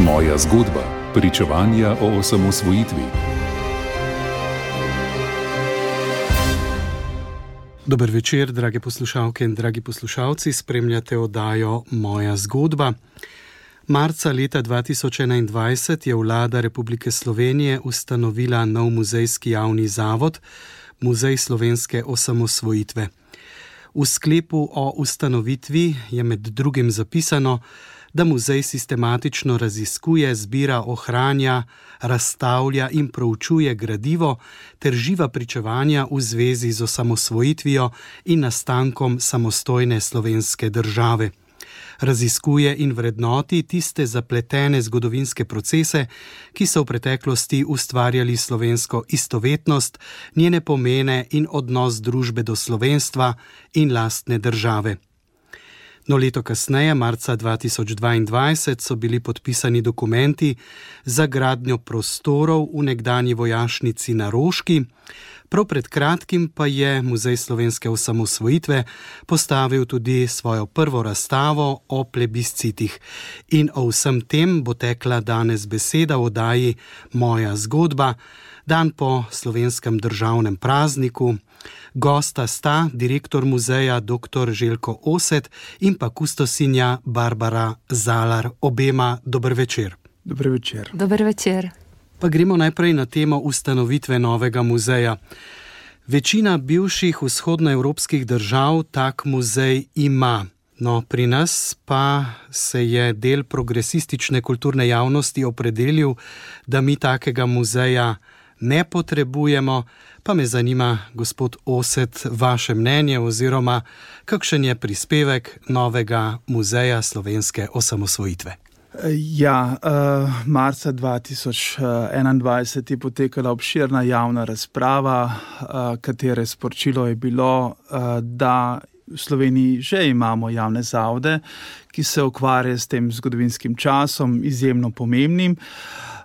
Moja zgodba. Pričevanja o osamosvojitvi. Dober večer, drage poslušalke in dragi poslušalci. Spremljate oddajo Moja zgodba. Marca leta 2021 je vlada Republike Slovenije ustanovila nov muzejski javni zavod, Muzej slovenske osamosvojitve. V sklepu o ustanovitvi je med drugim zapisano, da muzej sistematično raziskuje, zbira, ohranja, razstavlja in proučuje gradivo ter živa pričevanja v zvezi z osamosvojitvijo in nastankom samostojne slovenske države. Raziskuje in vrednoti tiste zapletene zgodovinske procese, ki so v preteklosti ustvarjali slovensko istovetnost, njene pomene in odnos družbe do slovenstva in lastne države. No, leto kasneje, marca 2022, so bili podpisani dokumenti za gradnjo prostorov v nekdanji vojašnici na Roški. Prav pred kratkim pa je Muzej slovenske osamosvojitve postavil tudi svojo prvo razstavo o plebiscitih. In o vsem tem bo tekla danes beseda v oddaji Moja zgodba, dan po slovenskem državnem prazniku. Gosta sta direktor muzeja dr. Željko Oset in pa kustosinja Barbara Zalar. Obema dober večer. Dober večer. Dober večer. Pa gremo najprej na temo ustanovitve novega muzeja. Večina bivših vzhodnoevropskih držav tak muzej ima. No, pri nas pa se je del progresistične kulturne javnosti opredelil, da mi takega muzeja ne potrebujemo. Pa me zanima, gospod Oset, vaše mnenje oziroma kakšen je prispevek novega muzeja slovenske osamosvojitve. Ja, marca 2021 je potekala obširna javna razprava, katere sporočilo je bilo, da v Sloveniji že imamo javne zavode, ki se ukvarjajo s tem zgodovinskim časom, izjemno pomembnim,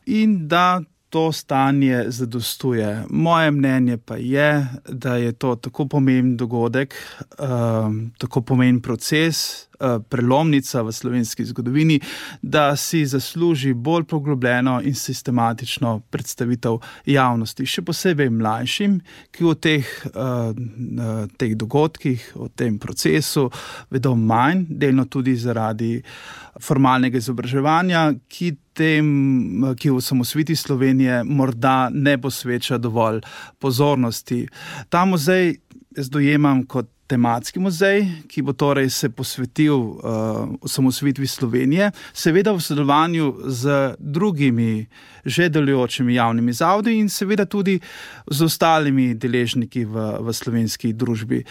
in da to stanje zadostuje. Moje mnenje pa je, da je to tako pomemben dogodek, tako pomemben proces, prelomnica v slovenski zgodovini, da si zasluži bolj poglobljeno in sistematično predstavitev javnosti, še posebej mlajšim, ki o teh dogodkih, o tem procesu vedo manj, delno tudi zaradi formalnega izobraževanja, ki v osamosvojitvi Slovenije morda ne posveča dovolj pozornosti. Ta muzej jaz dojemam kot tematski muzej, ki bo torej se posvetil osamosvojitvi Slovenije, seveda v sodelovanju z drugimi že delujočimi javnimi zavodi in seveda tudi z ostalimi deležniki v slovenski družbi.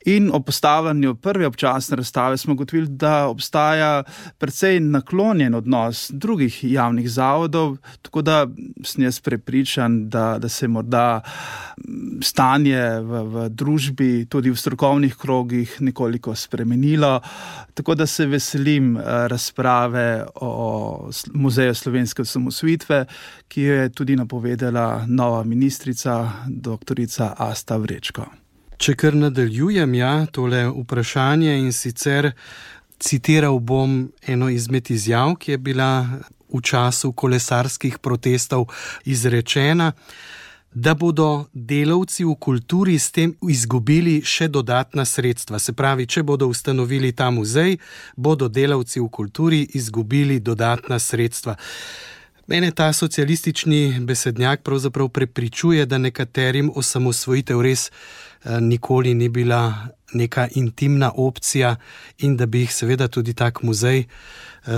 In ob postavljanju prve občasne razstave smo ugotovili, da obstaja precej naklonjen odnos drugih javnih zavodov, tako da sem jaz prepričan, da se morda stanje v družbi, tudi v strokovnih krogih nekoliko spremenilo, tako da se veselim razprave o Muzeju slovenske osamosvojitve, ki jo je tudi napovedala nova ministrica, doktorica Asta Vrečko. Če kar nadaljujem, tole vprašanje, in sicer citiral bom eno izmed izjav, ki je bila v času kolesarskih protestov izrečena, da bodo delavci v kulturi s tem izgubili še dodatna sredstva. Se pravi, če bodo ustanovili ta muzej, bodo delavci v kulturi izgubili dodatna sredstva. Mene ta socialistični besednjak pravzaprav prepričuje, da nekaterim osamosvojitev res nikoli ni bila neka intimna opcija in da bi jih seveda tudi tak muzej,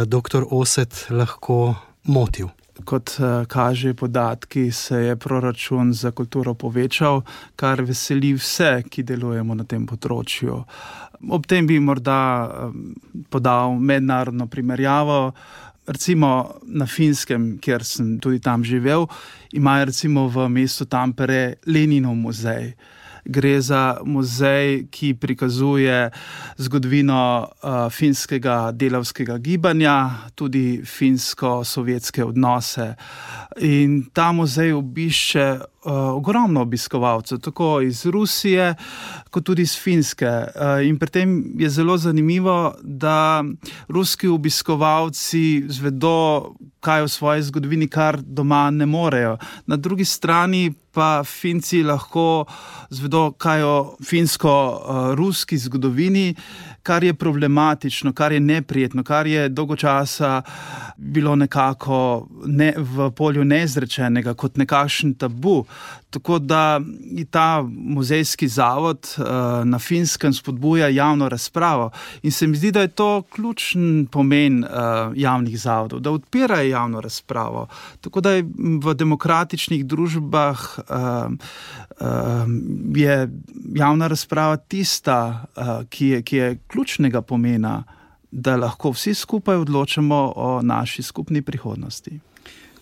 dr. Oset, lahko motil. Kot kaže podatki, se je proračun za kulturo povečal, kar veseli vse, ki delujemo na tem področju. Ob tem bi morda podal mednarodno primerjavo. Recimo na Finskem, kjer sem tudi tam živel, imajo recimo v mestu Tampere Leninov muzej. Gre za muzej, ki prikazuje zgodovino finskega delavskega gibanja, tudi finsko-sovjetske odnose. In ta muzej obišče ogromno obiskovalcev, tako iz Rusije, kot tudi iz Finske. In pri tem je zelo zanimivo, da ruski obiskovalci zvedo, kaj o svoji zgodovini, kar doma ne morejo. Na drugi strani pa Finci lahko zvedo, kaj o finsko-ruski zgodovini, kar je problematično, kar je neprijetno, kar je dolgo časa bilo nekako v polju neizrečenega, kot nekakšen tabu. Tako da ta muzejski zavod na Finskem spodbuja javno razpravo. In se mi zdi, da je to ključen pomen javnih zavodov, da odpirajo javno razpravo. Tako da je v demokratičnih družbah je javna razprava tista, ki je ključnega pomena, da lahko vsi skupaj odločamo o naši skupni prihodnosti.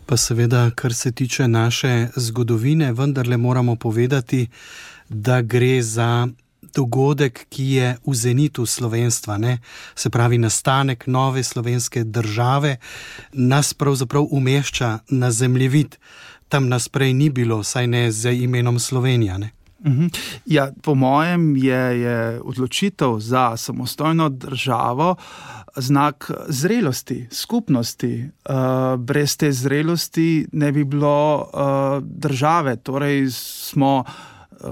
Pa seveda, kar se tiče naše zgodovine, vendarle moramo povedati, da gre za dogodek, ki je v zenitu slovenstva, ne? Se pravi, nastanek nove slovenske države nas pravzaprav umešča na zemljevid. Tam nas prej ni bilo, saj ne z imenom Slovenija, ne? Ja, po mojem je odločitev za samostojno državo znak zrelosti, skupnosti. Brez te zrelosti ne bi bilo države. Torej smo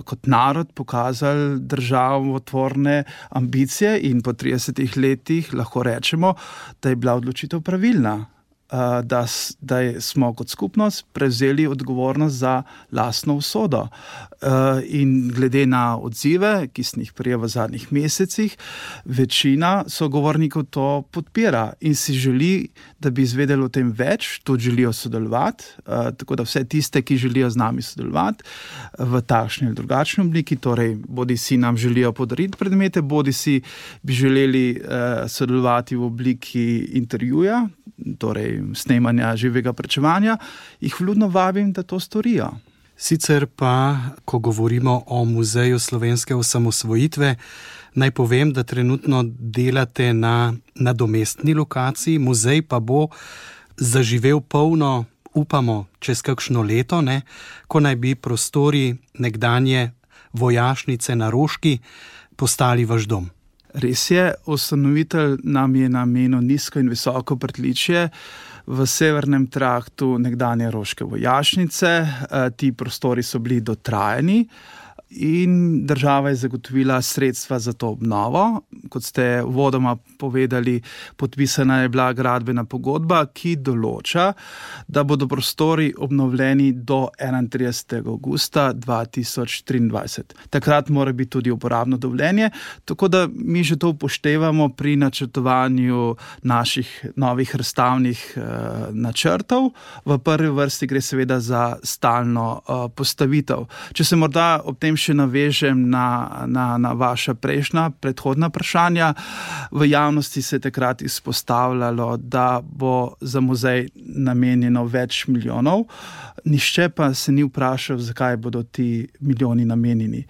kot narod pokazali državotvorne ambicije in po 30 letih lahko rečemo, da je bila odločitev pravilna. Da smo kot skupnost prevzeli odgovornost za lastno usodo. In glede na odzive, ki sem jih prejel v zadnjih mesecih, večina sogovornikov to podpira in si želi, da bi izvedeli o tem več, tudi želijo sodelovati, tako da vse tiste, ki želijo z nami sodelovati v takšni ali drugačni obliki, torej bodi si nam želijo podariti predmete, bodi si bi želeli sodelovati v obliki intervjuja, torej snemanja živega pričevanja, jih vljudno vabim, da to storijo. Sicer pa, ko govorimo o Muzeju slovenske osamosvojitve, naj povem, da trenutno delate na nadomestni lokaciji, muzej pa bo zaživel polno, upamo, čez kakšno leto, ne, ko naj bi prostori nekdanje vojašnice na Roški postali vaš dom. Res je, ustanovitelj nam je namenil nizko in visoko pritličje v severnem traktu nekdanje roške vojašnice. Ti prostori so bili dotrajani in država je zagotovila sredstva za to obnovo. Kot ste uvodoma povedali, podpisana je bila gradbena pogodba, ki določa, da bodo prostori obnovljeni do 31. avgusta 2023. Takrat mora biti tudi uporabno dovoljenje, tako da mi že to upoštevamo pri načrtovanju naših novih razstavnih načrtov. V prvi vrsti gre seveda za stalno postavitev. Če se morda ob tem še navežem na vaša prejšnja, predhodna vprašanja. V javnosti se je takrat izpostavljalo, da bo za muzej namenjeno več milijonov. Nihče pa se ni vprašal, zakaj bodo ti milijoni namenjeni.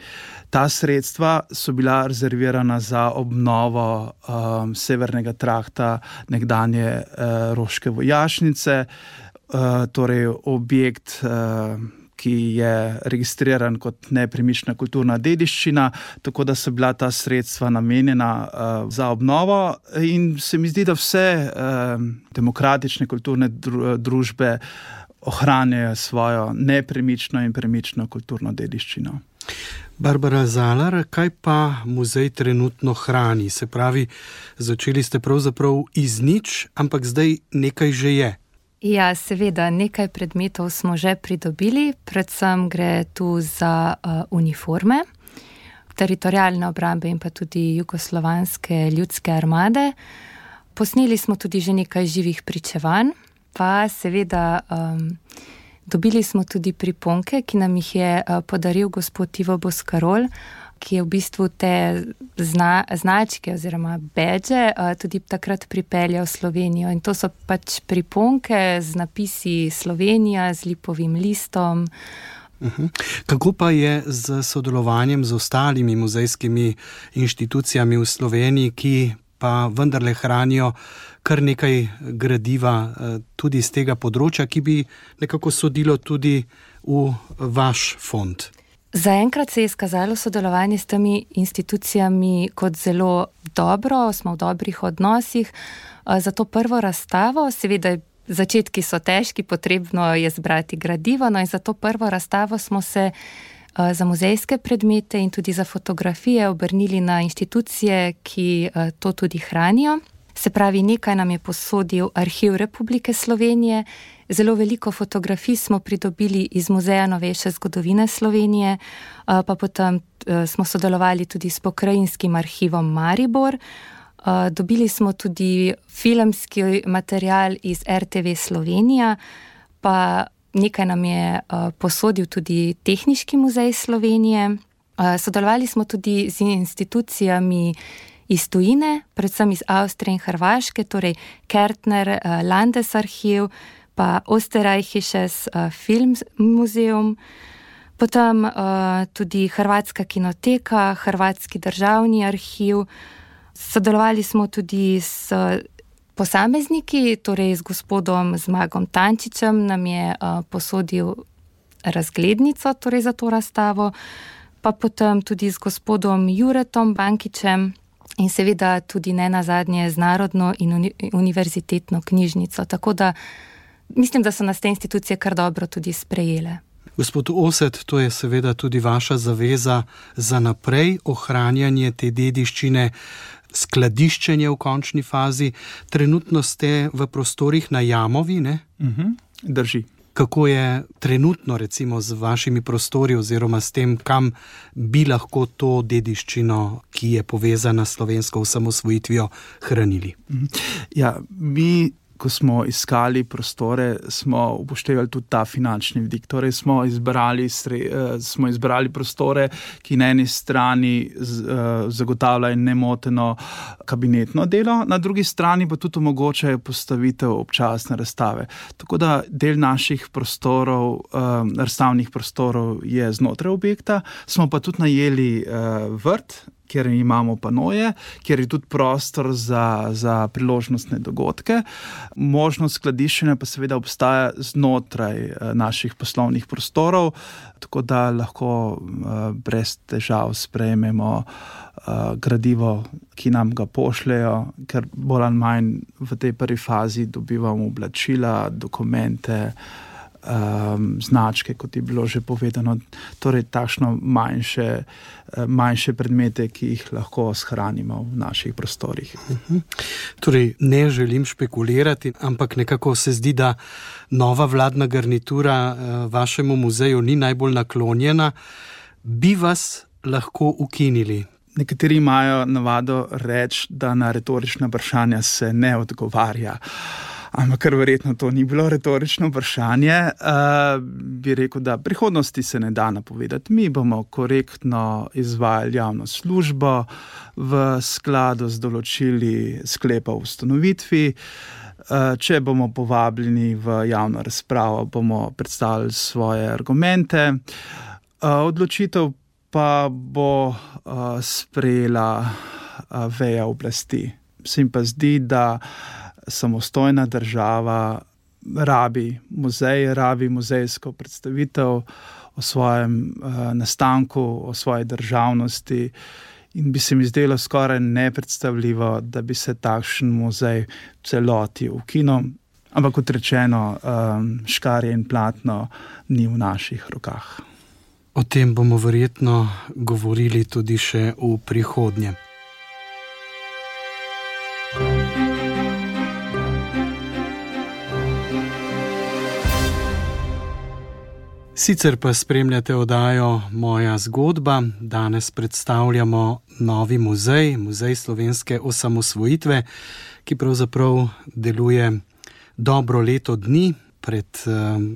Ta sredstva so bila rezervirana za obnovo severnega trakta nekdanje roške vojašnice, torej objekt, ki je registriran kot nepremična kulturna dediščina, tako da so bila ta sredstva namenjena za obnovo in se mi zdi, da vse demokratične kulturne družbe ohranjajo svojo nepremično in premično kulturno dediščino. Barbara Zalar, kaj pa muzej trenutno hrani? Se pravi, začeli ste pravzaprav iz nič, ampak zdaj nekaj že je. Ja, seveda, nekaj predmetov smo že pridobili, predvsem gre tu za uniforme, teritorialne obrambe in pa tudi jugoslovanske ljudske armade. Posneli smo tudi že nekaj živih pričevanj, pa seveda dobili smo tudi priponke, ki nam jih je podaril gospod Ivo Boskarol, ki je v bistvu te značke oziroma badge tudi takrat pripeljal v Slovenijo. In to so pač priponke z napisi Slovenija, z lipovim listom, Kako pa je z sodelovanjem z ostalimi muzejskimi inštitucijami v Sloveniji, ki pa vendarle hranijo kar nekaj gradiva tudi iz tega področja, ki bi nekako sodilo tudi v vaš fond? Zaenkrat se je izkazalo sodelovanje s temi institucijami kot zelo dobro, smo v dobrih odnosih. Za to prvo razstavo, seveda začetki so težki, potrebno je zbrati gradivo, no in za to prvo razstavo smo se za muzejske predmete in tudi za fotografije obrnili na inštitucije, ki to tudi hranijo. Se pravi, nekaj nam je posodil Arhiv Republike Slovenije, zelo veliko fotografij smo pridobili iz Muzeja novejše zgodovine Slovenije, pa potem smo sodelovali tudi s Pokrajinskim arhivom Maribor. Dobili smo tudi filmski material iz RTV Slovenija, pa nekaj nam je posodil tudi Tehniški muzej Slovenije. Sodelovali smo tudi z institucijami iz tujine, predvsem iz Avstrije in Hrvaške, torej Kärntner Landesarchiv, pa Österreichisches Filmmuseum, potem tudi Hrvatska kinoteka, Hrvatski državni arhiv. Sodelovali smo tudi s posamezniki, torej z gospodom Zmagom Tančičem, nam je posodil razglednico torej za to razstavo, pa potem tudi z gospodom Juretom Bankičem in seveda tudi ne nazadnje z Narodno in univerzitetno knjižnico. Tako da mislim, da so nas te institucije kar dobro tudi sprejele. Gospod Oset, to je seveda tudi vaša zaveza za naprej, ohranjanje te dediščine, skladiščenje v končni fazi. Trenutno ste v prostorih na Jamovi, ne? Drži. Kako je trenutno recimo z vašimi prostori oziroma s tem, kam bi lahko to dediščino, ki je povezana s slovensko osamosvojitvijo, hranili? Ja, mi, ko smo iskali prostore, smo upoštevali tudi ta finančni vidik. Torej smo izbrali prostore, ki na eni strani zagotavljajo nemoteno kabinetno delo, na drugi strani pa tudi omogočajo postavitev občasne razstave. Tako da del naših prostorov, razstavnih prostorov je znotraj objekta, smo pa tudi najeli vrt, kjer imamo panoje, kjer je tudi prostor za priložnostne dogodke. Možnost skladiščenja pa seveda obstaja znotraj naših poslovnih prostorov, tako da lahko brez težav sprejmemo gradivo, ki nam ga pošljejo, ker bolj ali manj v tej prvi fazi dobivamo oblačila, dokumente, značke, kot je bilo že povedano, torej takšno manjše predmete, ki jih lahko shranimo v naših prostorih. Torej, ne želim špekulirati, ampak nekako se zdi, da nova vladna garnitura vašemu muzeju ni najbolj naklonjena. Bi vas lahko ukinili? Nekateri imajo navado reči, da na retorična vprašanja se ne odgovarja. Ampak kar verjetno to ni bilo retorično vprašanje, bi rekel, da prihodnosti se ne da napovedati. Mi bomo korektno izvajali javno službo v skladu z določili sklepa o ustanovitvi. Če bomo povabljeni v javno razpravo, bomo predstavili svoje argumente. Odločitev pa bo sprejela veja oblasti. Se jim pa zdi, da samostojna država rabi muzej, rabi muzejsko predstavitev o svojem nastanku, o svoji državnosti in bi se mi zdelo skoraj nepredstavljivo, da bi se takšen muzej celoti ukinil. Ampak kot rečeno, škarje in platno ni v naših rokah. O tem bomo verjetno govorili tudi še v prihodnje. Sicer pa spremljate oddajo Moja zgodba. Danes predstavljamo novi muzej, Muzej slovenske osamosvojitve, ki pravzaprav deluje dobro leto dni. Pred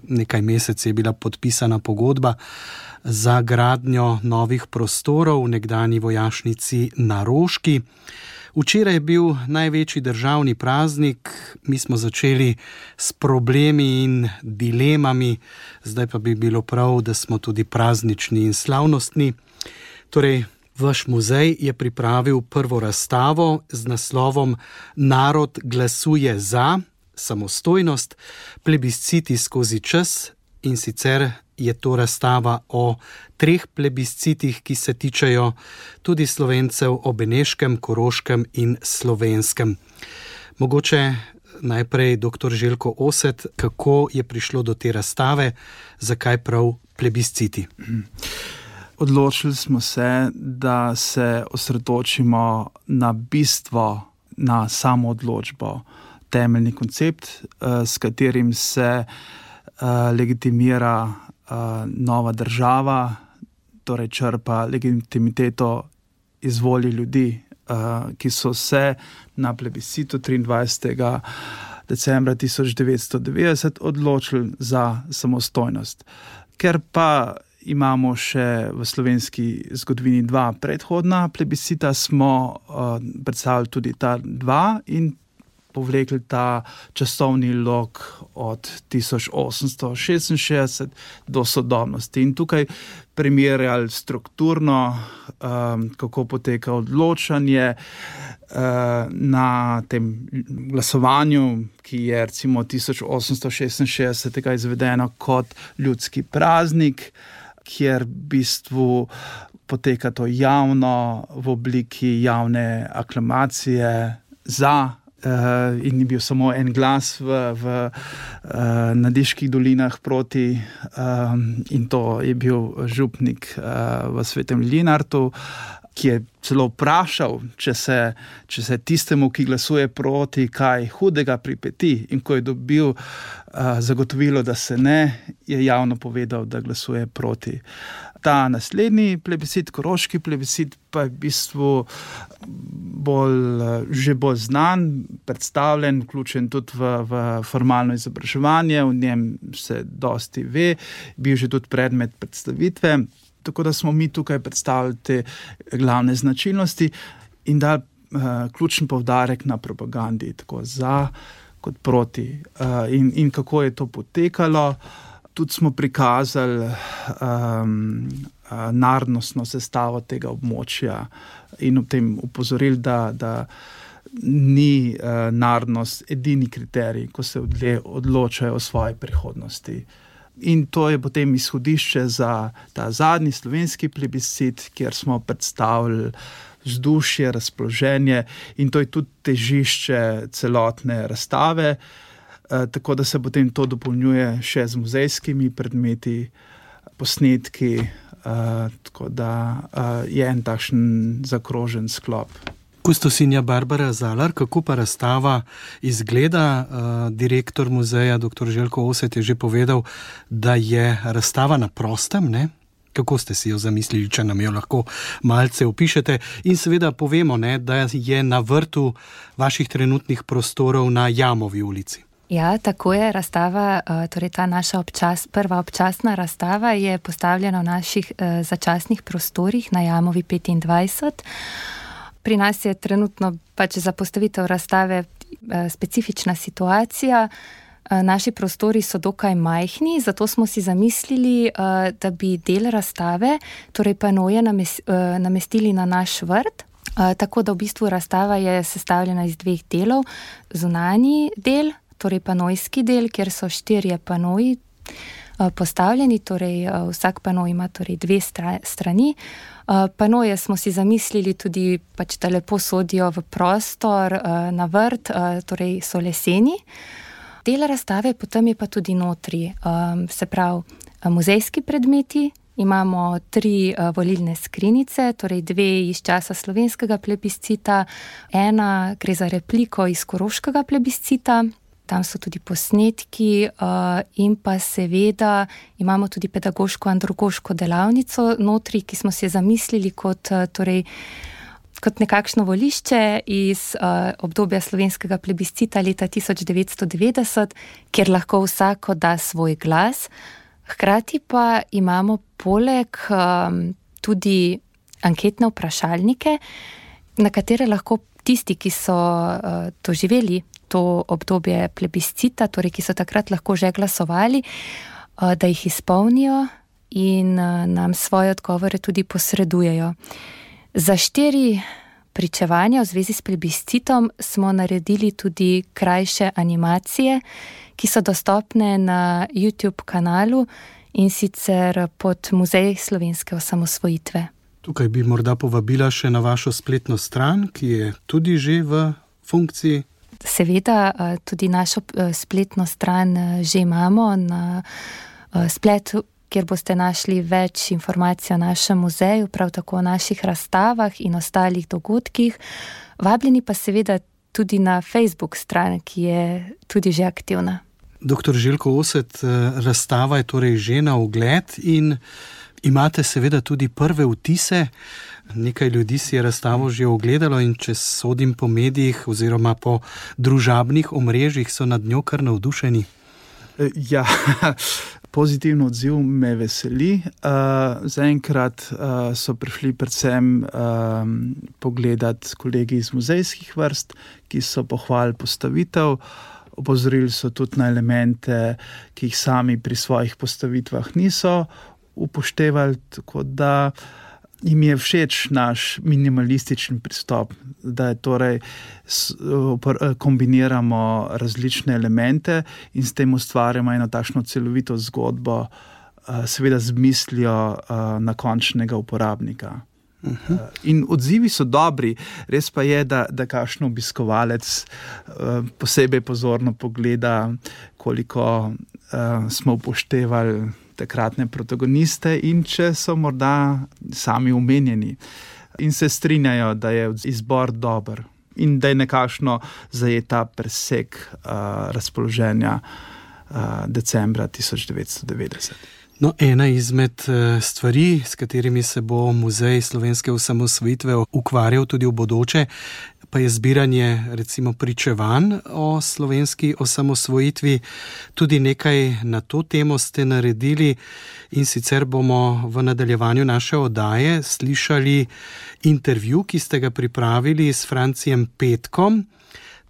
nekaj meseci je bila podpisana pogodba za gradnjo novih prostorov v nekdanji vojašnici na Roški. Včeraj je bil največji državni praznik, mi smo začeli s problemi in dilemami, zdaj pa bi bilo prav, da smo tudi praznični in slavnostni. Torej, vaš muzej je pripravil prvo razstavo z naslovom Narod glasuje za samostojnost, plebisciti skozi čas, in sicer je to razstava o 3 plebiscitih, ki se tičejo tudi Slovencev o Beneškem, Koroškem in Slovenskem. Mogoče najprej dr. Željko Oset, kako je prišlo do te razstave, zakaj prav plebisciti? Odločili smo se, da se osredotočimo na bistvo, na samoodločbo, temeljni koncept, s katerim se legitimira nova država, torej črpa legitimiteto iz volje ljudi, ki so se na plebiscitu 23. decembra 1990 odločili za samostojnost. Ker pa imamo še v slovenski zgodovini 2 predhodna plebiscita, smo predstavili tudi ta 2 in povlekli ta časovni lok od 1866 do sodobnosti. In tukaj primerjali strukturno, kako poteka odločanje na tem glasovanju, ki je recimo 1866 izvedeno kot ljudski praznik, kjer v bistvu poteka to javno v obliki javne aklamacije za, in ni bil samo en glas v Nadiških dolinah proti, in to je bil župnik v Svetem Linartu, ki je celo vprašal, če se tistemu, ki glasuje proti, kaj hudega pripeti, in ko je dobil zagotovilo, da se ne, je javno povedal, da glasuje proti. Ta naslednji plebiscit, koroški plebiscit, pa je v bistvu že bolj znan, predstavljen, vključen tudi v formalno izobraževanje, v njem se dosti ve, bil že tudi predmet predstavitve. Tako da smo mi tukaj predstavili te glavne značilnosti in dali ključen poudarek na propagandi, tako za kot proti. In kako je to potekalo, tudi smo prikazali narodnostno sestavo tega območja in ob tem upozorili, da ni narodnost edini kriterij, ko se odločajo o svoji prihodnosti. In to je potem izhodišče za ta zadnji slovenski plebiscit, kjer smo predstavili vzdušje, razpoloženje, in to je tudi težišče celotne razstave, tako da se potem to dopolnjuje še z muzejskimi predmeti, posnetki, tako da je en takšen zakrožen sklop. Kustosinja Barbara Zalar, kako pa razstava izgleda? Direktor muzeja, dr. Željko Oset, je že povedal, da je razstava na prostem, ne? Kako ste si jo zamislili, če nam jo lahko malce opišete? In seveda povemo, ne, da je na vrtu vaših trenutnih prostorov na Jamovi ulici. Ja, tako je. Razstava, torej ta naša prva občasna razstava je postavljena v naših začasnih prostorih na Jamovi 25. Pri nas je trenutno pač za postavitev razstave specifična situacija. Naši prostori so dokaj majhni, zato smo si zamislili, da bi del razstave, torej panoje, namestili na naš vrt. Tako da v bistvu razstava je sestavljena iz 2 delov. Zunanji del, torej panojski del, kjer so 4 panoji postavljeni, torej vsak panoj ima torej 2 strani. Panoje smo si zamislili tudi, pač, da lepo sodijo v prostor, na vrt, torej so leseni. Del razstave potem je pa tudi notri, se pravi muzejski predmeti. Imamo 3 volilne skrinjice, torej 2 iz časa slovenskega plebiscita, 1 gre za repliko iz koroškega plebiscita. Tam so tudi posnetki in pa seveda imamo tudi pedagoško-andragoško delavnico notri, ki smo si zamislili kot nekakšno volišče iz obdobja slovenskega plebiscita leta 1990, kjer lahko vsako da svoj glas. Hkrati pa imamo poleg tudi anketne vprašalnike, na katere lahko tisti, ki so doživeli to obdobje plebiscita, torej ki so takrat lahko že glasovali, da jih izpolnijo in nam svoje odgovore tudi posredujejo. Za 4 pričevanja v zvezi s plebiscitom smo naredili tudi krajše animacije, ki so dostopne na YouTube kanalu in sicer pod Muzej slovenske osamosvojitve. Tukaj bi morda povabila še na vašo spletno stran, ki je tudi že v funkciji. Seveda, tudi našo spletno stran že imamo na spletu, kjer boste našli več informacij o našem muzeju, prav tako o naših razstavah in ostalih dogodkih. Vabljeni pa seveda tudi na Facebook stran, ki je tudi že aktivna. Dr. Željko Oset, razstava je torej že na ogled in imate seveda tudi prve vtise. Nekaj ljudi si je razstavo že ogledalo in če sodim po medijih oziroma po družabnih omrežjih, so nad njo kar navdušeni. Ja, pozitivno odziv me veseli. Zaenkrat so prišli predvsem pogledat kolegi iz muzejskih vrst, ki so pohvalili postavitev. Opozorili so tudi na elemente, ki jih sami pri svojih postavitvah niso upoštevali, tako da jim je všeč naš minimalističen pristop, da torej kombiniramo različne elemente in s tem ustvarjamo eno takšno celovito zgodbo, seveda z mislijo na končnega uporabnika. In odzivi so dobri, res pa je, da kakšen obiskovalec posebej pozorno pogleda, koliko smo upoštevali takratne protagoniste in če so morda sami omenjeni in se strinjajo, da je izbor dober in da je nekakšno zajeta presek razpoloženja decembra 1990. No, ena izmed stvari, s katerimi se bo Muzej slovenske osamosvojitve ukvarjal tudi v bodoče, pa je zbiranje recimo pričevanj o slovenski osamosvojitvi. Tudi nekaj na to temo ste naredili in sicer bomo v nadaljevanju naše oddaje slišali intervju, ki ste ga pripravili s Francijem Petkom.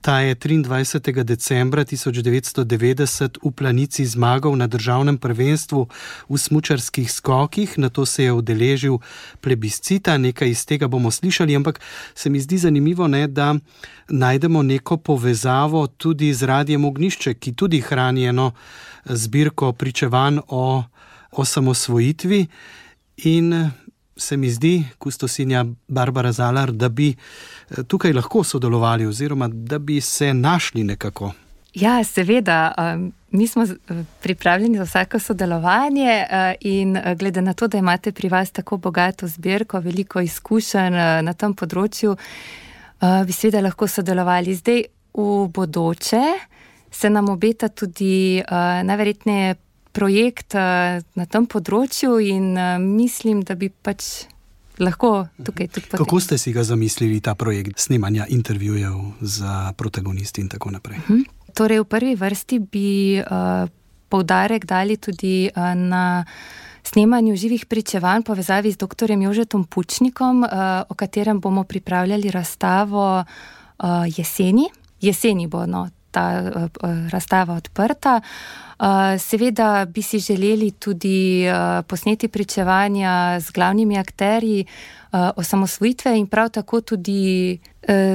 Ta je 23. decembra 1990 v Planici zmagal na državnem prvenstvu v smučarskih skokih, nato se je udeležil plebiscita, nekaj iz tega bomo slišali, ampak se mi zdi zanimivo, da najdemo neko povezavo tudi z Radiem Ognjišče, ki tudi hrani eno zbirko pričevanj o osamosvojitvi in se mi zdi, kustosinja Barbara Zalar, da bi tukaj lahko sodelovali oziroma da bi se našli nekako. Ja, seveda. Mi smo pripravljeni za vsako sodelovanje in glede na to, da imate pri vas tako bogato zbirko, veliko izkušenj na tem področju, bi seveda lahko sodelovali. Zdaj v bodoče se nam obeta tudi najverjetneje projekt na tem področju in mislim, da bi pač lahko tukaj tudi potem. Kako ste si ga zamislili, ta projekt snemanja intervjujev za protagonisti in tako naprej? Torej, v prvi vrsti bi poudarek dali tudi na snemanju živih pričevanj v povezavi z dr. Jožetom Pučnikom, o katerem bomo pripravljali razstavo jeseni. Jeseni bo ta razstava odprta. Seveda bi si želeli tudi posneti pričevanja z glavnimi akterji osamosvojitve in prav tako tudi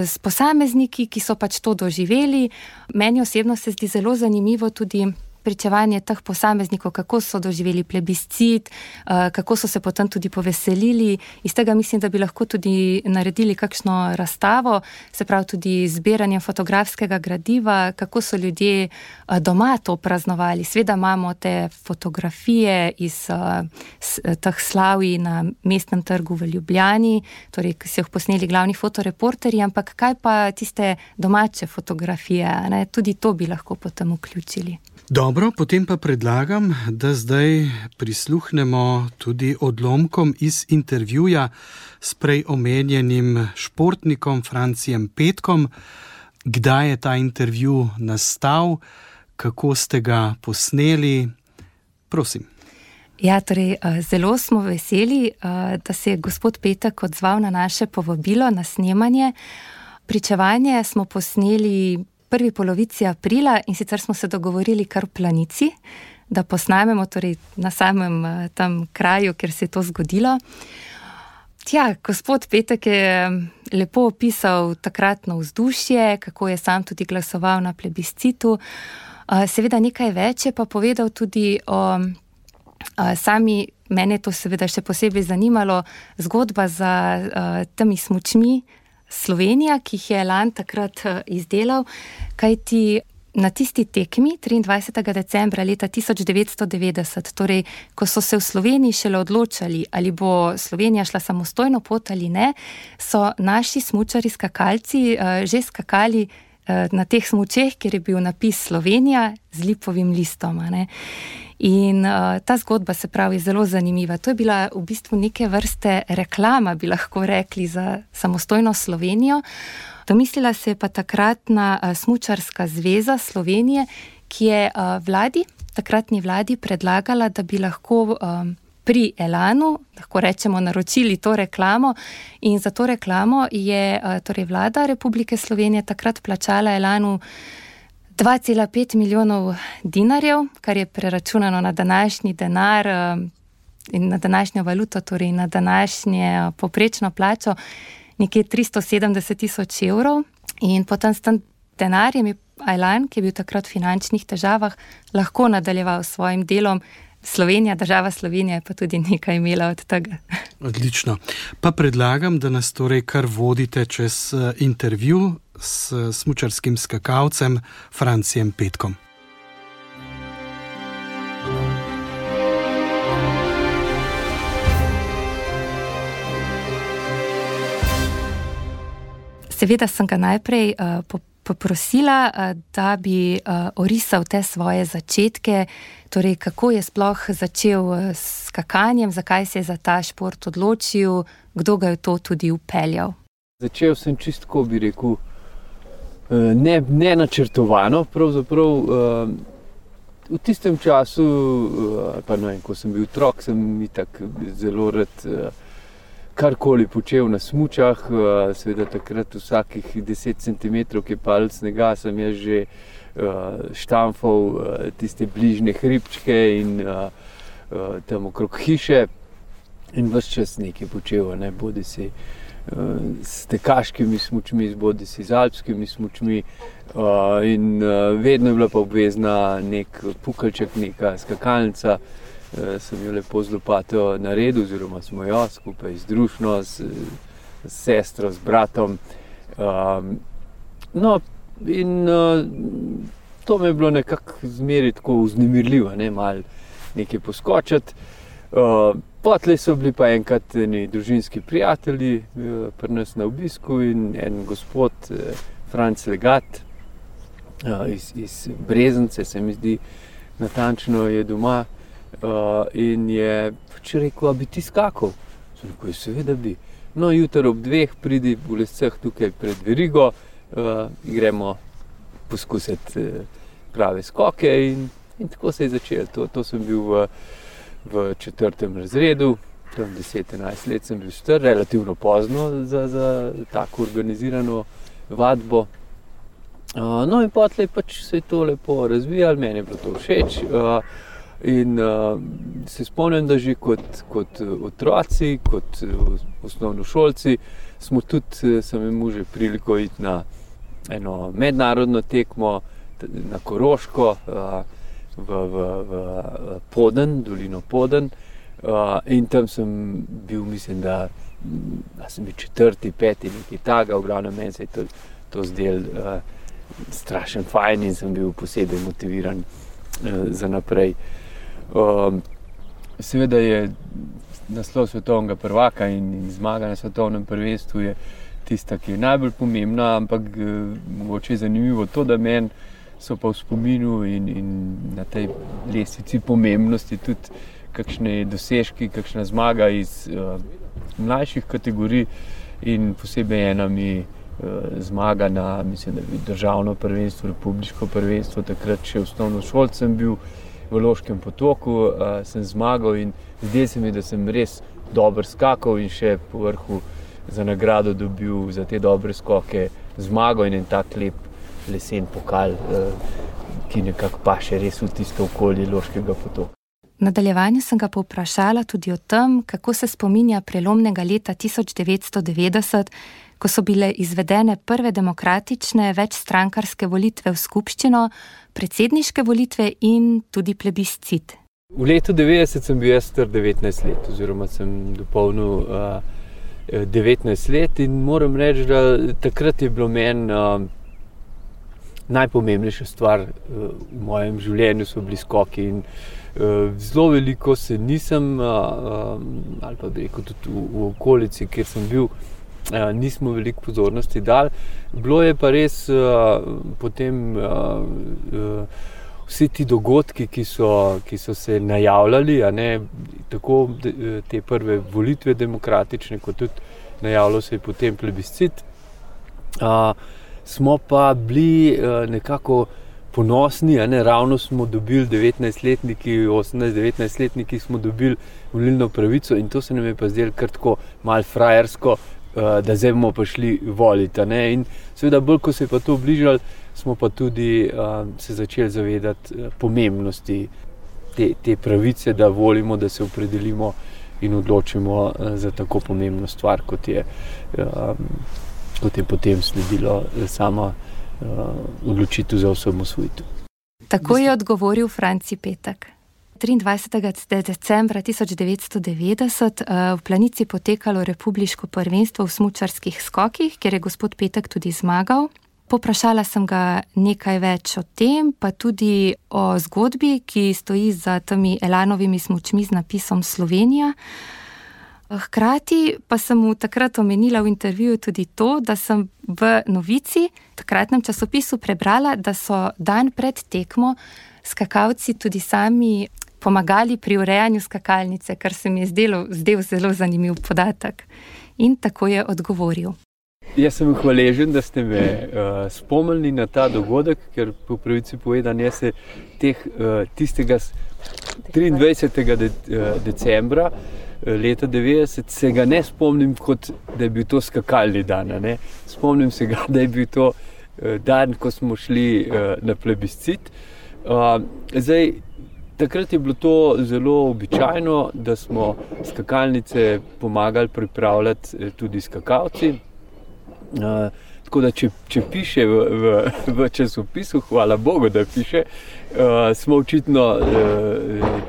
s posamezniki, ki so pač to doživeli. Meni osebno se zdi zelo zanimivo tudi pričevanje teh posameznikov, kako so doživeli plebiscit, kako so se potem tudi poveselili. Iz tega mislim, da bi lahko tudi naredili kakšno razstavo, se pravi tudi zbiranje fotografskega gradiva, kako so ljudje doma to praznovali. Sveda imamo te fotografije iz teh slavij na Mestnem trgu v Ljubljani, torej, ki so jih posneli glavni fotoreporterji, ampak kaj pa tiste domače fotografije, ne? Tudi to bi lahko potem vključili. Dobro, potem pa predlagam, da zdaj prisluhnemo tudi odlomkom iz intervjuja s prej omenjenim športnikom Francijem Petkom. Kdaj je ta intervju nastal, kako ste ga posneli? Prosim. Ja, torej, zelo smo veseli, da se je gospod Petek odzval na naše povabilo na snemanje. Pričevanje smo posneli v prvi polovici aprila in sicer smo se dogovorili kar v Planici, da posnamemo torej na samem tam kraju, kjer se je to zgodilo. Tja, gospod Petek je lepo opisal takratno vzdušje, kako je sam tudi glasoval na plebiscitu. Seveda nekaj več je pa povedal tudi o sami, mene to seveda še posebej zanimalo, zgodba za temi smučmi Slovenija, ki jih je Elan takrat izdelal, kajti na tisti tekmi 23. decembra leta 1990, torej, ko so se v Sloveniji šele odločali, ali bo Slovenija šla samostojno pot ali ne, so naši smučari skakalci že skakali na teh smučeh, kjer je bil napis Slovenija z lipovim listom. Ne? In ta zgodba, se pravi, je zelo zanimiva. To je bila v bistvu neke vrste reklama, bi lahko rekli, za samostojno Slovenijo. Domislila se je pa takratna Smučarska zveza Slovenije, ki je takratni vladi predlagala, da bi lahko pri Elanu, lahko rečemo, naročili to reklamo, in za to reklamo je torej vlada Republike Slovenije takrat plačala Elanu 2,5 milijonov dinarjev, kar je preračunano na današnji denar in na današnjo valuto, torej na današnje povprečno plačo, nekje 370 000 evrov. In potem s tem denarjem je Elan, ki je bil takrat v finančnih težavah, lahko nadaljeval s svojim delom. Slovenija, država Slovenija je pa tudi nekaj imela od tega. Odlično. Pa predlagam, da nas torej kar vodite čez intervju s smučarskim skakalcem Francijem Petkom. Seveda sem ga najprej poprosila, da bi orisal te svoje začetke, torej kako je sploh začel s skakanjem, zakaj se je za ta šport odločil, kdo ga je to tudi vpeljal. Začel sem čisto, bi rekel, ne načrtovano, pravzaprav v tistem času, pa ne vem, ko sem bil otrok, sem itak zelo rad karkoli počel na smučah, seveda takrat vsakih 10 cm, ki je padel snega, sem jaz že štamfal tiste bližnje hribčke in tam okrog hiše in ves čas nekaj počel, ne, bodi si s tekaškimi smučmi, bodi si z alpskimi smučmi in vedno je bila pa obvezna nek pukalček, neka skakalnica. Sem jo lepo z lopato naredil, oziroma smo jo skupaj z družino, s sestro, s bratom. No, in to mi je bilo nekako zmeraj tako vznemirljivo, ne, malo nekaj poskočiti. Potlej so bili pa enkrat eni družinski prijatelji pri nas na obisku in en gospod, Franc Legat, iz Breznice, se mi zdi, natančno je doma. In je pač rekel, a bi ti skakal? Sem rekel, seveda bi. No, jutro ob 2 pridi v Lescah tukaj pred verigo, gremo poskusiti prave skoke in tako se je začelo. To sem bil v 4. razredu, tam 10-11 let sem bil star, relativno pozno za tako organizirano vadbo. No in potlej pač se je to lepo razvijalo, meni je bilo to všeč. In se spomnim, da že kot otroci, kot osnovnošolci smo tudi, sem imel že priliko iti na eno mednarodno tekmo na Koroško, v Poden, dolino Poden. In tam sem bil, mislim, da sem bil 4., 5., nekaj takega, v glavnem meni se je to zdelo strašen fajn in sem bil posebej motiviran za naprej. Seveda je naslov svetovnega prvaka in zmaga na svetovnem prvenstvu je tista, ki je najbolj pomembna, ampak mogoče je zanimivo to, da meni so pa v spominu in na tej lestvici pomembnosti tudi kakšne dosežki, kakšna zmaga iz mlajših kategorij in posebej ena mi zmaga na, mislim, da bi državno prvenstvo, republiško prvenstvo, takrat še osnovnošolc sem bil, v Loškem potoku, sem zmagal in zdaj se mi, da sem res dober skakal in še po vrhu za nagrado dobil za te dobre skoke zmago in en tak lep lesen pokal, ki nekako paše res v tisto okolje Loškega potoka. V nadaljevanju sem ga povprašala tudi o tem, kako se spominja prelomnega leta 1990, ko so bile izvedene prve demokratične večstrankarske volitve v skupščino, predsedniške volitve in tudi plebiscit. V letu 90 sem bil jaz star 19 let, oziroma sem dopolnil 19 let in moram reči, da takrat je bilo meni najpomembnejša stvar v mojem življenju so bili skoki in zelo veliko se nisem, ali pa bi rekel tudi v okolici, kjer sem bil, nismo veliko pozornosti dali. Bilo je pa res potem vsi ti dogodki, ki so se najavljali, tako te prve volitve demokratične, kot tudi najavljal se je potem plebiscit, smo pa bili nekako ponosni, ravno smo dobili 19-letniki, 18-19-letniki smo dobili volilno pravico in to se nam je pa zdelo kar tako malo frajersko, da zdaj bomo pa šli voliti. In seveda bolj, ko se je pa to bližalo, smo pa tudi se začeli zavedati pomembnosti te pravice, da volimo, da se opredelimo in odločimo za tako pomembno stvar, kot je potem sledilo sama odločitev za osamosvojitev. Tako je odgovoril Franci Petek. 23. decembra 1990 v Planici potekalo republiško prvenstvo v smučarskih skokih, kjer je gospod Petek tudi zmagal. Poprašala sem ga nekaj več o tem, pa tudi o zgodbi, ki stoji za temi Elanovimi smučmi z napisom Slovenija. Hkrati pa sem mu takrat omenila v intervjuju tudi to, da sem v novici, takratnem časopisu, prebrala, da so dan pred tekmo skakalci tudi sami pomagali pri urejanju skakalnice, kar se mi je zdel zelo zanimiv podatek. In tako je odgovoril. Jaz sem hvaležen, da ste me spomnili na ta dogodek, ker po pravici povedano, jaz se tistega 23. decembra leta 90 se ga ne spomnim, kot da je bil to skakalni dan. Spomnim se ga, da je bil to dan, ko smo šli na plebiscit. Takrat je bilo to zelo običajno, da smo skakalnice pomagali pripravljati tudi skakalci. Tako da, če piše v časopisu, hvala Bogu, da piše, smo očitno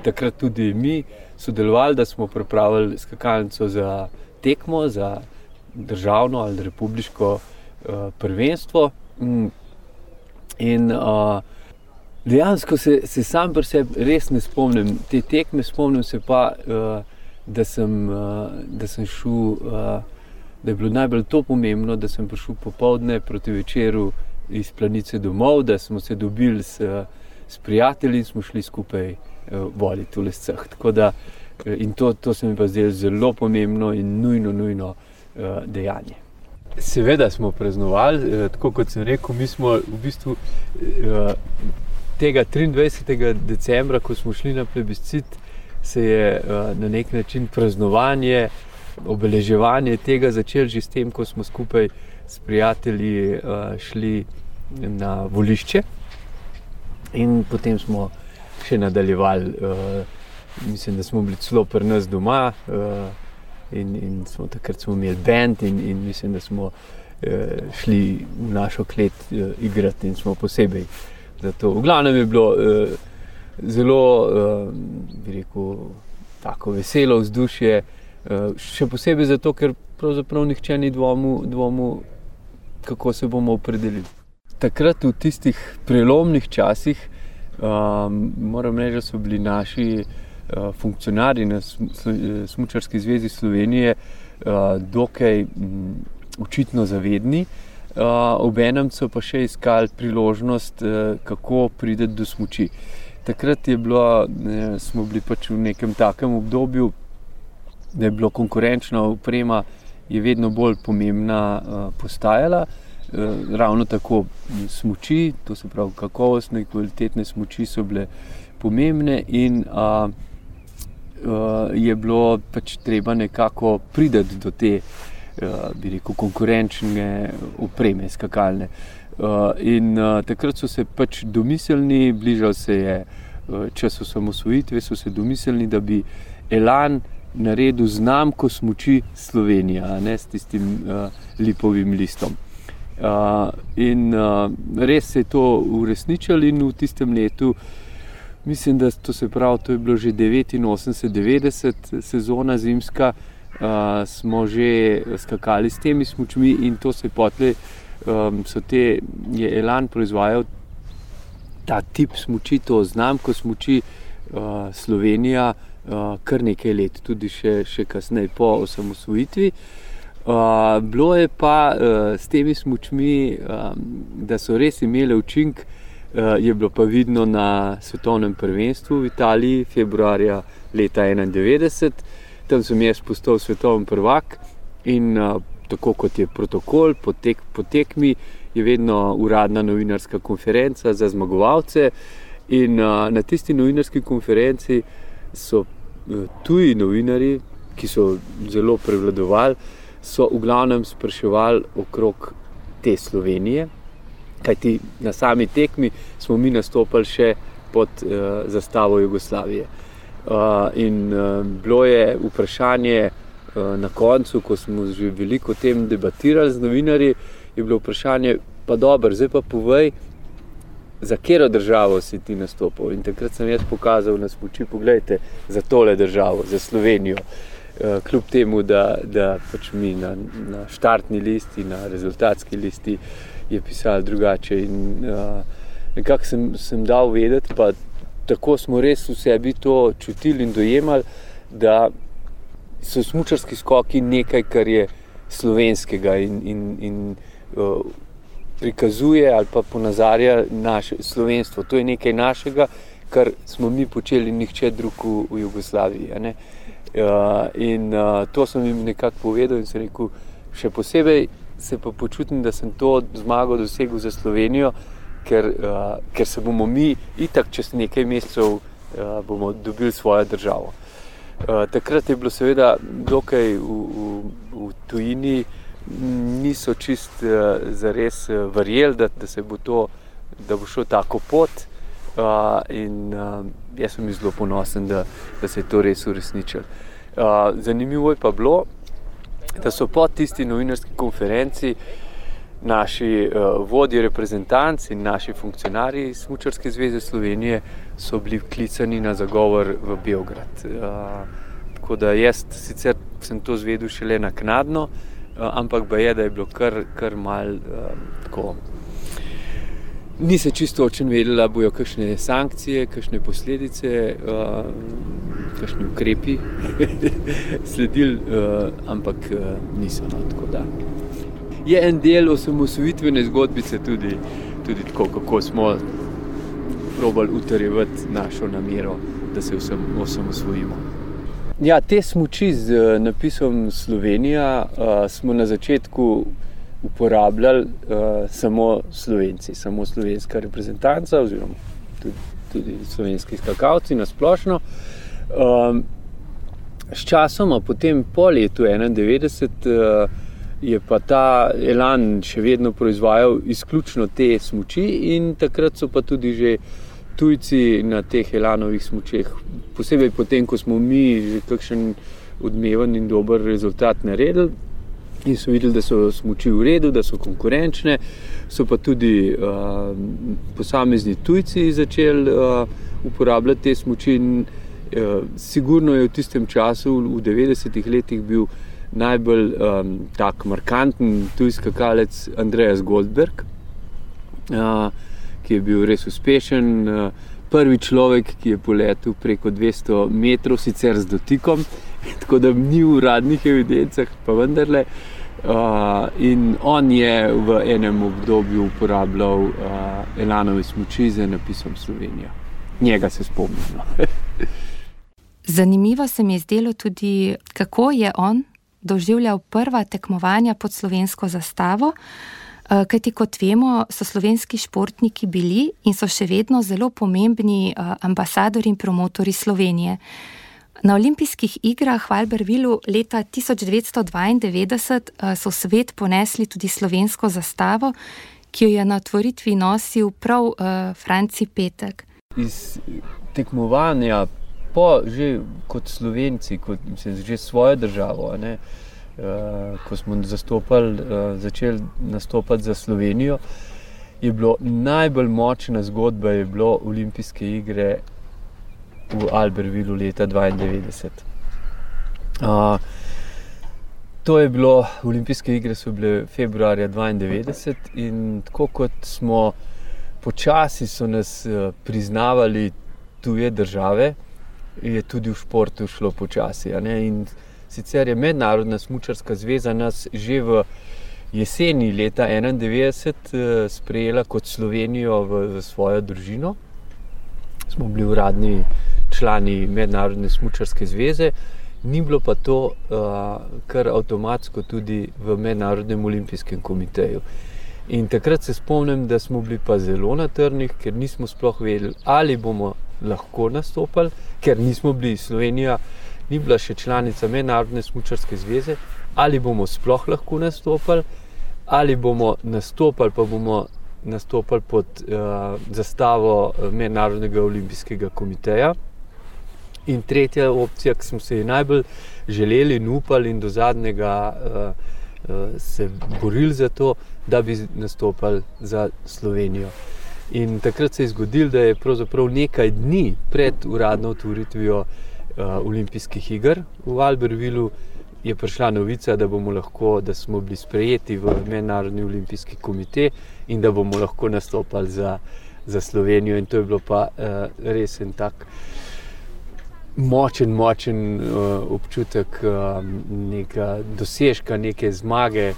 takrat tudi mi sodelovali, da smo pripravili skakalnico za tekmo, za državno ali republiško prvenstvo. In dejansko se sam pri sebi res ne spomnim te tekme, spomnim se pa, da sem šel, da je bilo najbolj to pomembno, da sem prišel popoldne proti večeru iz Planice domov, da smo se dobili s prijatelji in smo šli skupaj voliti v lescah. Tako da, in to se mi pa zdelo zelo pomembno in nujno dejanje. Seveda smo praznovali, tako kot sem rekel, mi smo v bistvu tega 23. decembra, ko smo šli na plebiscit, se je na nek način praznovanje, obeleževanje tega začeli že s tem, ko smo skupaj s prijatelji šli na volišče in potem smo še nadaljevali. Mislim, da smo bili celo pri nas doma in takrat smo imeli band in mislim, da smo šli v našo klet igrati in smo posebej za to. V glavnem je bilo zelo, bi rekel, tako veselo vzdušje, še posebej zato, ker pravzaprav nihče ni dvomil, kako se bomo opredelili. Takrat v tistih prelomnih časih, moram reči, da so bili naši funkcionarji na Smučarski zvezi Slovenije dokaj očitno zavedni, obenem so pa še iskali priložnost, kako priti do smuči. Takrat smo bili pač v nekem takem obdobju, da je bilo konkurenčna oprema je vedno bolj pomembna postajala. Ravno tako smuči, to se pravi kakovostne, kvalitetne smuči so bile pomembne in je bilo pač treba nekako priti do te, bi rekel, konkurenčne opreme skakalne. In takrat so se pač domiselni, bližal se je čas osamosvojitve, so se domiselni, da bi Elan naredil znamko smuči Slovenija, ne, s tistim lipovim listom. In res se je to uresničilo in v tistem letu, mislim, da to je bilo že 89-90 sezona zimska, smo že skakali s temi smučmi in to se potlej je Elan proizvajal ta tip smuči, to znamko smuči Slovenija kar nekaj let, tudi še kasneje po osamosvojitvi. Bilo je pa s temi smučmi, da so res imele učink, je bilo pa vidno na svetovnem prvenstvu v Italiji februarja leta 1991. Tam sem jaz postal svetovni prvak in tako kot je protokol po tekmi, je vedno uradna novinarska konferenca za zmagovalce in na tisti novinarski konferenci so tuji novinarji, ki so zelo prevladovali, so v glavnem spraševali okrog te Slovenije, kajti na sami tekmi smo mi nastopali še pod zastavo Jugoslavije. In bilo je vprašanje na koncu, ko smo že veliko o tem debatirali z novinarji, je bilo vprašanje, pa dobro, zdaj pa povej, za katero državo si ti nastopil. In takrat sem jaz pokazal na smuči, poglejte, za tole državo, za Slovenijo. Kljub temu, da pač mi na štartni listi, na rezultatski listi je pisalo drugače. In nekako sem dal vedeti, pa tako smo res v sebi to čutili in dojemali, da so smučarski skoki nekaj, kar je slovenskega in prikazuje ali pa ponazarja naše slovenstvo. To je nekaj našega, kar smo mi počeli nihče drug v Jugoslaviji. Ne? In to sem jim nekako povedal in sem rekel, še posebej se pa počutim, da sem to zmago dosegel za Slovenijo, ker se bomo mi itak čez nekaj mesecev bomo dobili svojo državo. Takrat je bilo seveda dokaj v tujini, niso čist zares verjeli, da bo šlo tako pot in jaz sem zelo ponosen, da se je to res uresničilo. Zanimivo je pa bilo, da so po tisti novinarski konferenci naši vodje reprezentanc in naši funkcionarji Smučarske zveze Slovenije so bili klicani na zagovor v Beograd. Tako da jaz sicer sem to zvedel šele naknadno, ampak da je bilo kar malo tako. Ni se čisto očen vedela, bojo kakšne sankcije, kakšne posledice, kakšni ukrepi sledili, ampak niso, no, tako da. Je en del osamosvojitvene zgodbice tudi tako, kako smo probali utrjevati našo namero, da se osamosvojimo. Ja, te smuči z napisom Slovenija smo na začetku uporabljali samo Slovenci, samo slovenska reprezentanca oziroma tudi slovenski skakalci na splošno. S časoma, potem po letu 1991, je pa ta Elan še vedno proizvajal izključno te smuči in takrat so pa tudi že tujci na teh Elanovih smučeh, posebej potem, ko smo mi že kakšen odmeven in dober rezultat naredili in so videli, da so smuči v redu, da so konkurenčne, so pa tudi posamezni tujci začeli uporabljati te smuči in sigurno je v tistem času, v 90-ih letih bil najbolj tak markanten tuj skakalec Andreas Goldberg, ki je bil res uspešen, prvi človek, ki je poletel preko 200 metrov, sicer z dotikom, tako da ni v uradnih evidencah, pa vendarle. In on je v enem obdobju uporabljal Elanove smuči z napisom Slovenija. Njega se spomnimo. Zanimivo se mi je zdelo tudi, kako je on doživljal prva tekmovanja pod slovensko zastavo. Kajti kot vemo, so slovenski športniki bili in so še vedno zelo pomembni ambasadori in promotori Slovenije. Na olimpijskih igrah v Albertvilleu leta 1992 so v svet ponesli tudi slovensko zastavo, ki jo je na otvoritvi nosil prav Franci Petek. Iz tekmovanja že kot Slovenci, že svojo državo, ne, ko smo začeli nastopati za Slovenijo, je bilo najbolj močna zgodba je bilo olimpijske igre v Albertvilleu leta 1992. To je bilo, olimpijske igre so bile februarja 1992 in tako kot smo počasi so nas priznavali tuje države, je tudi v športu šlo počasi. In sicer je Mednarodna smučarska zveza nas že v jeseni leta 1991 sprejela kot Slovenijo v svojo družino. Smo bili uradni člani Mednarodne smučarske zveze, ni bilo pa to kar avtomatsko tudi v Mednarodnem olimpijskem komiteju. In takrat se spomnim, da smo bili pa zelo na trnih, ker nismo sploh vedeli, ali bomo lahko nastopali, ker nismo bili, Slovenija ni bila še članica Mednarodne smučarske zveze, ali bomo sploh lahko nastopali, ali bomo nastopali, pa bomo nastopali pod zastavo Mednarodnega olimpijskega komiteja. In tretja opcija, ki smo se ji najbolj želeli in upali in do zadnjega se borili za to, da bi nastopali za Slovenijo. In takrat se je zgodilo, da je pravzaprav nekaj dni pred uradno otvoritvijo olimpijskih iger v Albertvilleu je prišla novica, da smo bili sprejeti v Mednarodni olimpijski komite in da bomo lahko nastopali za Slovenijo. In to je bilo pa res en tak močen občutek neka dosežka, neke zmage.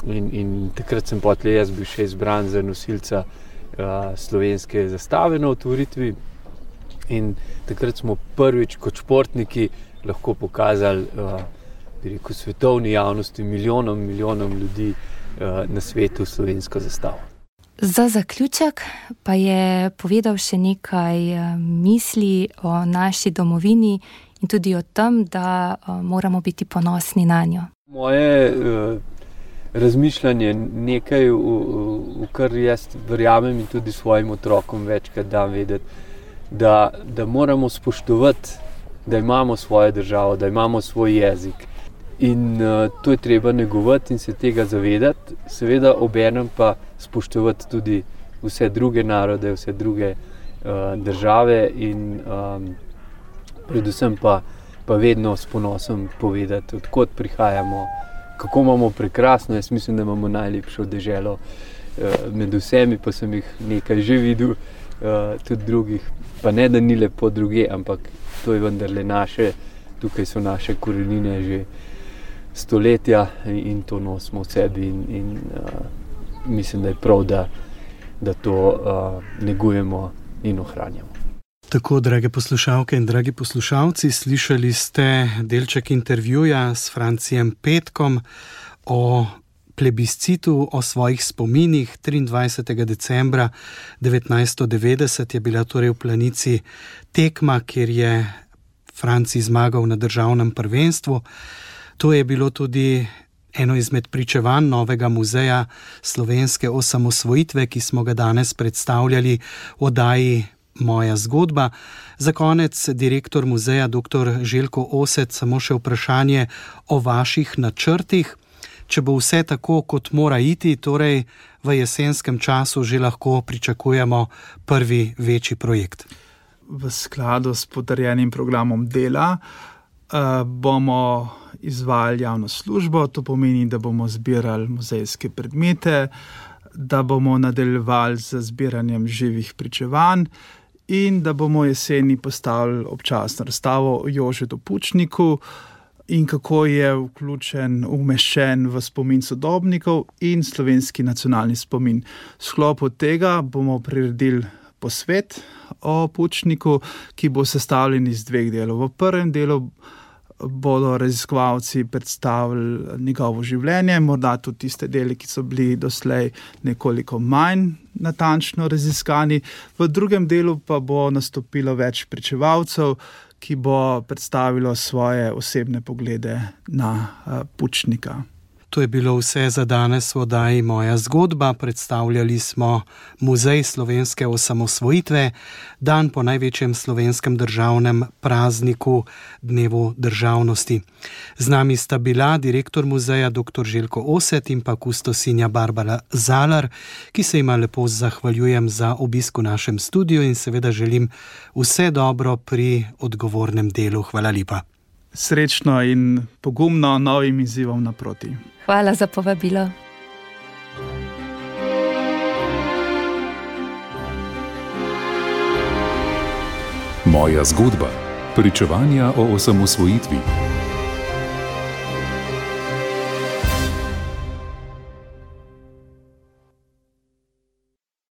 In takrat sem potlej jaz bil še izbran za nosilca slovenske zastave na otvoritvi. In takrat smo prvič kot športniki lahko pokazali svetovni javnosti, milijonom ljudi na svetu slovensko zastavo. Za zaključek pa je povedal še nekaj misli o naši domovini in tudi o tem, da moramo biti ponosni nanjo. Moje razmišljanje nekaj, v kar jaz verjamem in tudi svojim otrokom večkrat dam vedeti, da moramo spoštovati, da imamo svojo državo, da imamo svoj jezik. In to je treba negovati in se tega zavedati, seveda obenem pa spoštovati tudi vse druge narode, vse druge države in predvsem pa vedno s ponosom povedati, odkot prihajamo, kako imamo prekrasno. Jaz mislim, da imamo najlepšo deželo med vsemi, pa sem jih nekaj že videl, tudi drugih, pa ne da ni lepo druge, ampak to je vendarle naše, tukaj so naše korenine že stoletja in to nosimo v sebi in mislim, da je prav, da to negujemo in ohranjamo. Tako, drage poslušalke in dragi poslušalci, slišali ste delček intervjuja s Francijem Petkom o plebiscitu, o svojih spominih. 23. decembra 1990 je bila torej v Planici tekma, kjer je Franci zmagal na državnem prvenstvu. To je bilo tudi eno izmed pričevanj novega muzeja slovenske osamosvojitve, ki smo ga danes predstavljali v oddaji Moja zgodba. Za konec, direktor muzeja dr. Željko Osec, samo še vprašanje o vaših načrtih. Če bo vse tako, kot mora iti, torej v jesenskem času že lahko pričakujemo prvi večji projekt. V skladu s potrjenim programom dela bomo izvajali javno službo, to pomeni, da bomo zbirali muzejske predmete, da bomo nadaljevali z zbiranjem živih pričevanj in da bomo jeseni postavili občasno razstavo o Jožetu Pučniku in kako je umeščen v spomin sodobnikov in slovenski nacionalni spomin. V sklopu tega bomo priredili posvet o Pučniku, ki bo sestavljen iz 2 delov. V prvem delu bodo raziskovalci predstavili njegovo življenje, morda tudi tiste dele, ki so bili doslej nekoliko manj natančno raziskani. V drugem delu pa bo nastopilo več pričevalcev, ki bo predstavilo svoje osebne poglede na Pučnika. To je bilo vse za danes v oddaji Moja zgodba. Predstavljali smo Muzej slovenske osamosvojitve, dan po največjem slovenskem državnem prazniku, dnevu državnosti. Z nami sta bila direktor muzeja dr. Željko Oset in pa kustosinja Barbara Zalar, ki se jima lepo zahvaljujem za obisk v našem studiu in seveda želim vse dobro pri odgovornem delu. Hvala lepa. Srečno in pogumno novim izzivom naproti. Hvala za povabilo. Moja zgodba. Pričevanja o osamosvojitvi.